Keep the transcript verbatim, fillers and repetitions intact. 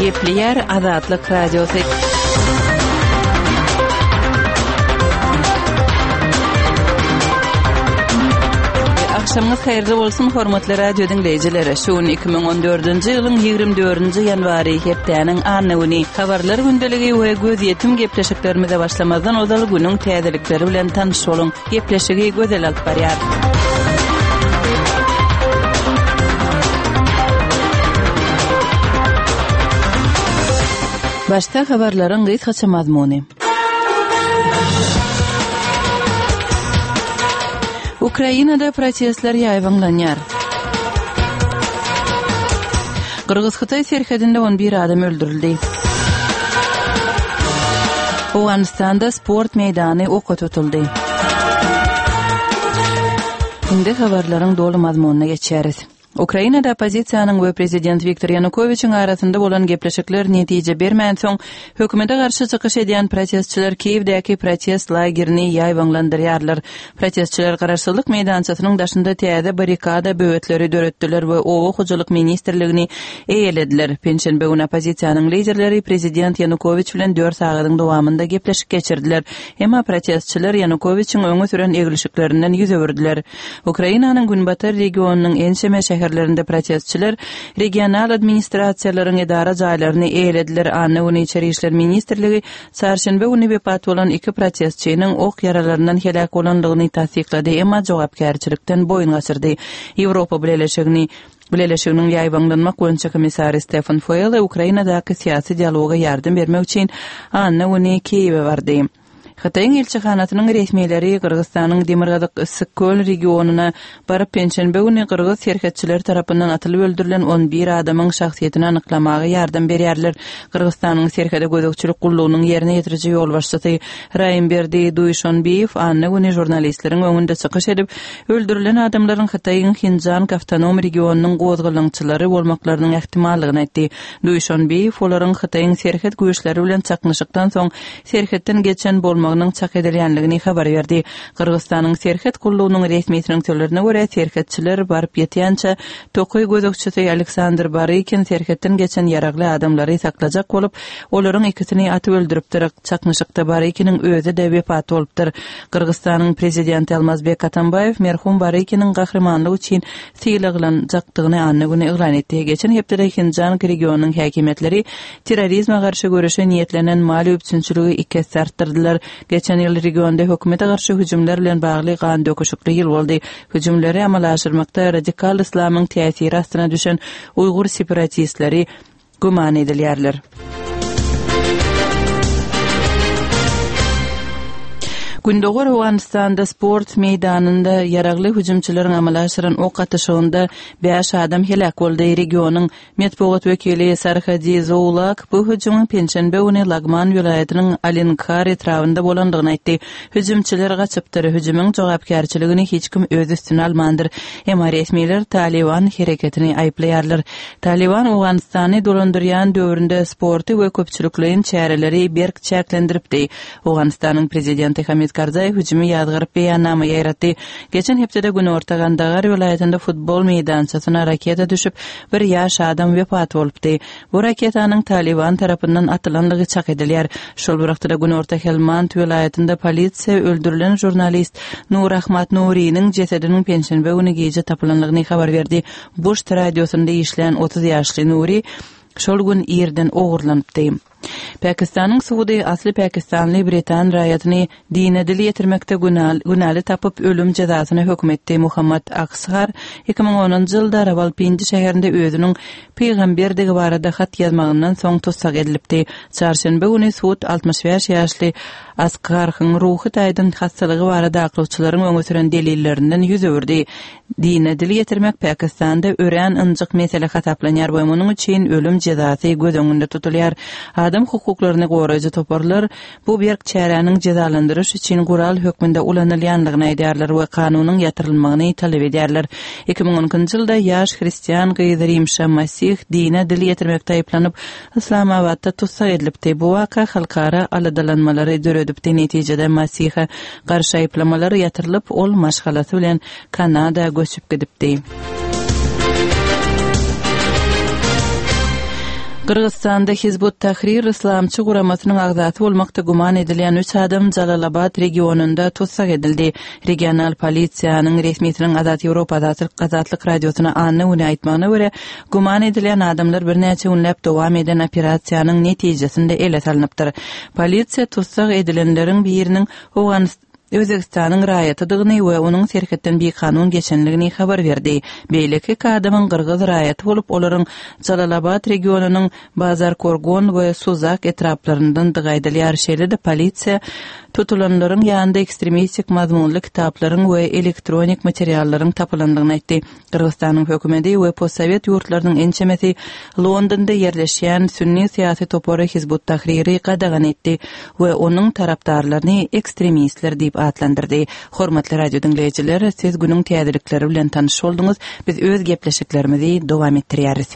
Gepleýär Azatlyk Radiosy. Agşamyňyz haýyrly bolsun, hormatly radio diňleýjiler. Şu gün iki müň on dördünji ýylyň ýigrimi dördünji ýanwary, hepdäniň anna güni. Habarlar gündeligi we gözýetim gepleşiklerimize başlamazdan ozal günüň täzelikleri bilen tanyş boluň. Gepleşigi Gözel alyp barýar. Başda habarlaryň gysgaça mazmuny. Ukrainada protestler ýaýbaňlanýar. Gyrgyz-Hytaý serhedinde on bir adam öldürildi. Owganystanda sport meýdany oka tutuldy. Indi habarlaryň doly mazmunyna geçýäris. Ukrainada oppozisiýanyň we prezident Wiktor Ýanukowiçiň arasynda bolan gepleşikler netije bermänsoň, hökümete garşy çykyş edýän protestçiler Kiýewdäki protest lagerini ýaýbaňlandyrýarlar. Protestçiler Garaşsyzlyk meýdançasynyň daşynda täze barrikada böwetleri döretdiler we Oba hojalyk ministrligini eýelediler. Penşenbe güni oppozisiýanyň liderleri prezident Ýanukowiç bilen dört sagadyň dowamynda gepleşik geçirdiler. Emma protestçiler Ýanukowiçiň öňe süren eglişiklerinden ýüz öwürdiler. Ukrainanyň günbatar regionynyň ençeme şäherlerinde protestçiler regional administrasiýalaryň edara jaýlaryny eýelediler. Anna güni Içeri işler ministrligi çarşenbe güni wepat bolan iki protestçiniň ok ýaralaryndan heläk bolandygyny tassyklady, emma jogapkärçilikden boýun gaçyrdy. Ýewropa Bileleşigini Bileleşiginiň ýaýbaňlanmak boýunça komissary Stefan Fuele Ukrainadaky syýasy dialoga ýardam bermek üçin anna güni Kiýewe bardy. Hytaýyň ilçihanasynyň resmileri Gyrgyzystanyň demirgazyk Issyk-Köl regionyna baryp, penşenbe güni gyrgyz serhetçileri tarapyndan atylyp öldürilen on bir adamyň şahsyýetini anyklamaga ýardam berýärler. Gyrgyzystanyň serhede gözegçilik gullugynyň ýerine ýetiriji ýolbaşçysy Raýymberdi Duýşonbiýew anna güni žurnalistleriň öňünde çykyş edip, öldürilen adamlaryň Hytaýyň Hinjank awtonom regionynyň gozgalaňçylary bolmaklarynyň ähtimallygyny aýtdy. Duýşonbiýew olaryň Hytaýyň serhet güýçleri bilen çaknyşykdan soň serhetden geçen bolmagynyň çak edilýänligini habar berdi. Gyrgyzystanyň serhet gullugynyň resmisiniň sözlerine görä, serhetçiler baryp ýetýänçä tokaý gözegçisi Aleksandr Barykin serhetden geçen ýaragly adamlary saklajak bolup, olaryň ikisini atyp öldüripdir. Çaknyşykda Barykiniň özi-de wepat bolupdyr. Gyrgyzystanyň prezidenti Almazbek Atambaýew merhum Barykiniň gahrymanlygy üçin sylaglanjakdygyny anna güni yglan etdi. Geçen hepdede Hinjank regionynyň häkimiýetleri terrorizme garşy göreşe niýetlenen maliýe üpjünçiligi iki esse artdyrdylar. Geçen ýyl regionda hökümete garşy hüjümler bilen bagly gan döküşikli ýyl boldy. Hüjümleri amala aşyrmakda radikal islamyň täsiri astyna düşen uýgur separatistleri güman edilýärler. Gündogar Owganystanda sport meýdanynda ýaragly hüjümçileriň amala aşyran ok atyşygynda bäş adam heläk boldy. Regionyň metbugat wekili Sarhadi Zoulak bu hüjümiň penşenbe güni Lagman welaýatynyň Alinkar etrabynda bolandygyny aýtdy. Hüjümçiler gaçypdyr. Hüjümiň jogapkärçiligini hiç kim öz üstüne almandyr. Emma resmiler Taliban hereketini aýyplaýarlar. Taliban Owganystany dolandyrýan döwründe sporty we köpçülikleýin çäreleri berk çäklendiripdi. Owganystanyň prezidenti Hamid Karzaý hüjümi ýazgaryp beýannama ýaýratdy. Geçen hepdede Günorta Gandagar welaýatynda futbol meýdançasyna raketa düşüp, bir ýaş adam wepat bolupdy. Bu raketanyň Taliban tarapyndan atylanlygy çak edilýär. Şol bir wagtda Günorta Helmand welaýatynda polisiýa öldürilen žurnalist Nur Ahmad Nuriniň jesediniň penşenbe güni gije tapylanlygyny habar berdi. Buşt radiosynda işlän otuz ýaşly Nuri şol gün irden ogurlanypdy. Pakistanyň sudy asly pakistanly britan raýatyny dine dil ýetirmekde günäli tapyp ölüm jezasyna höküm etdi. Muhammad Aksar iki müň onunjy ýylda Rawalpindi şäherinde özüniň pygamberdigi barada hat ýazmagyndan soň tussag edilipdi. Çarşenbe güni sud altmyş bäş ýaşly Askarhyň ruhy taýdan hassalygy barada aklawçylaryň öňe süren delillerinden ýüz öwürdi. Dine dil ýetirmek Pakistanda örän ynjyk mesele hasaplanýar we munuň üçin ölüm jezasy göz öňünde tutulýar. Adam hukuklaryny goraýjy toparlar bu berk çäräniň jezalandyryş üçin gural hökmünde ulanylýanlygyny aýdýarlar we kanunyň ýatyrylmagyny talap edýärler. Iki müň on ikinji ýylda ýaş hristian gyz Rimşa Masih dine dil ýetirmekde aýyplanyp, Islamabadda tussag edilipdi. Bu waka halkara aladalanmalary döredipdi. Netijede Masiha garşy aýyplamalar ýatyrylyp, ol maşgalasy bilen Kanada göçüp gidipdi. Gyrgyzystanda Hizb ut-Tahrir yslamçy guramasynyň agzasy bolmakda güman edilýän üç adam Jalalabat regionynda tussag edildi. Regional polisiýanyň resmisiniň Azat Ýewropa Azatlyk Azatlyk Radiosyna anna güni aýtmagyna görä, güman edilýän adamlar birnäçe günläp dowam eden operasiýanyň netijesinde ele salnypdyr. Polisiýa tussag edilenleriň biriniň Özbegistanyň raýatydygyny we onuň serhetden bikanun geçendigini habar berdi. Beýleki iki adamyň gyrgyz raýaty bolup, olaryň Jalalabat regionynyň Bazarkorgon we Suzak etraplaryndandygy aýdylýar. Şeýle-de polisiýa tutulanlaryň ýanynda ekstremistik mazmunly kitaplaryň we elektronik materiallaryň tapylandygyny aýtdy. Gyrgyzystanyň hökümeti we postsowet ýurtlarynyň ençemesi Londonda ýerleşýän sünni syýasy topary Hizb ut-Tahriri gadagan etdi we onuň tarapdarlaryny ekstremistler diýip atlandyrdy. Hormatly radio diňleýjiler, siz günüň täzelikleri bilen tanyş bolduňyz. Biz öz gepleşiklerimizi dowam etdirýäris.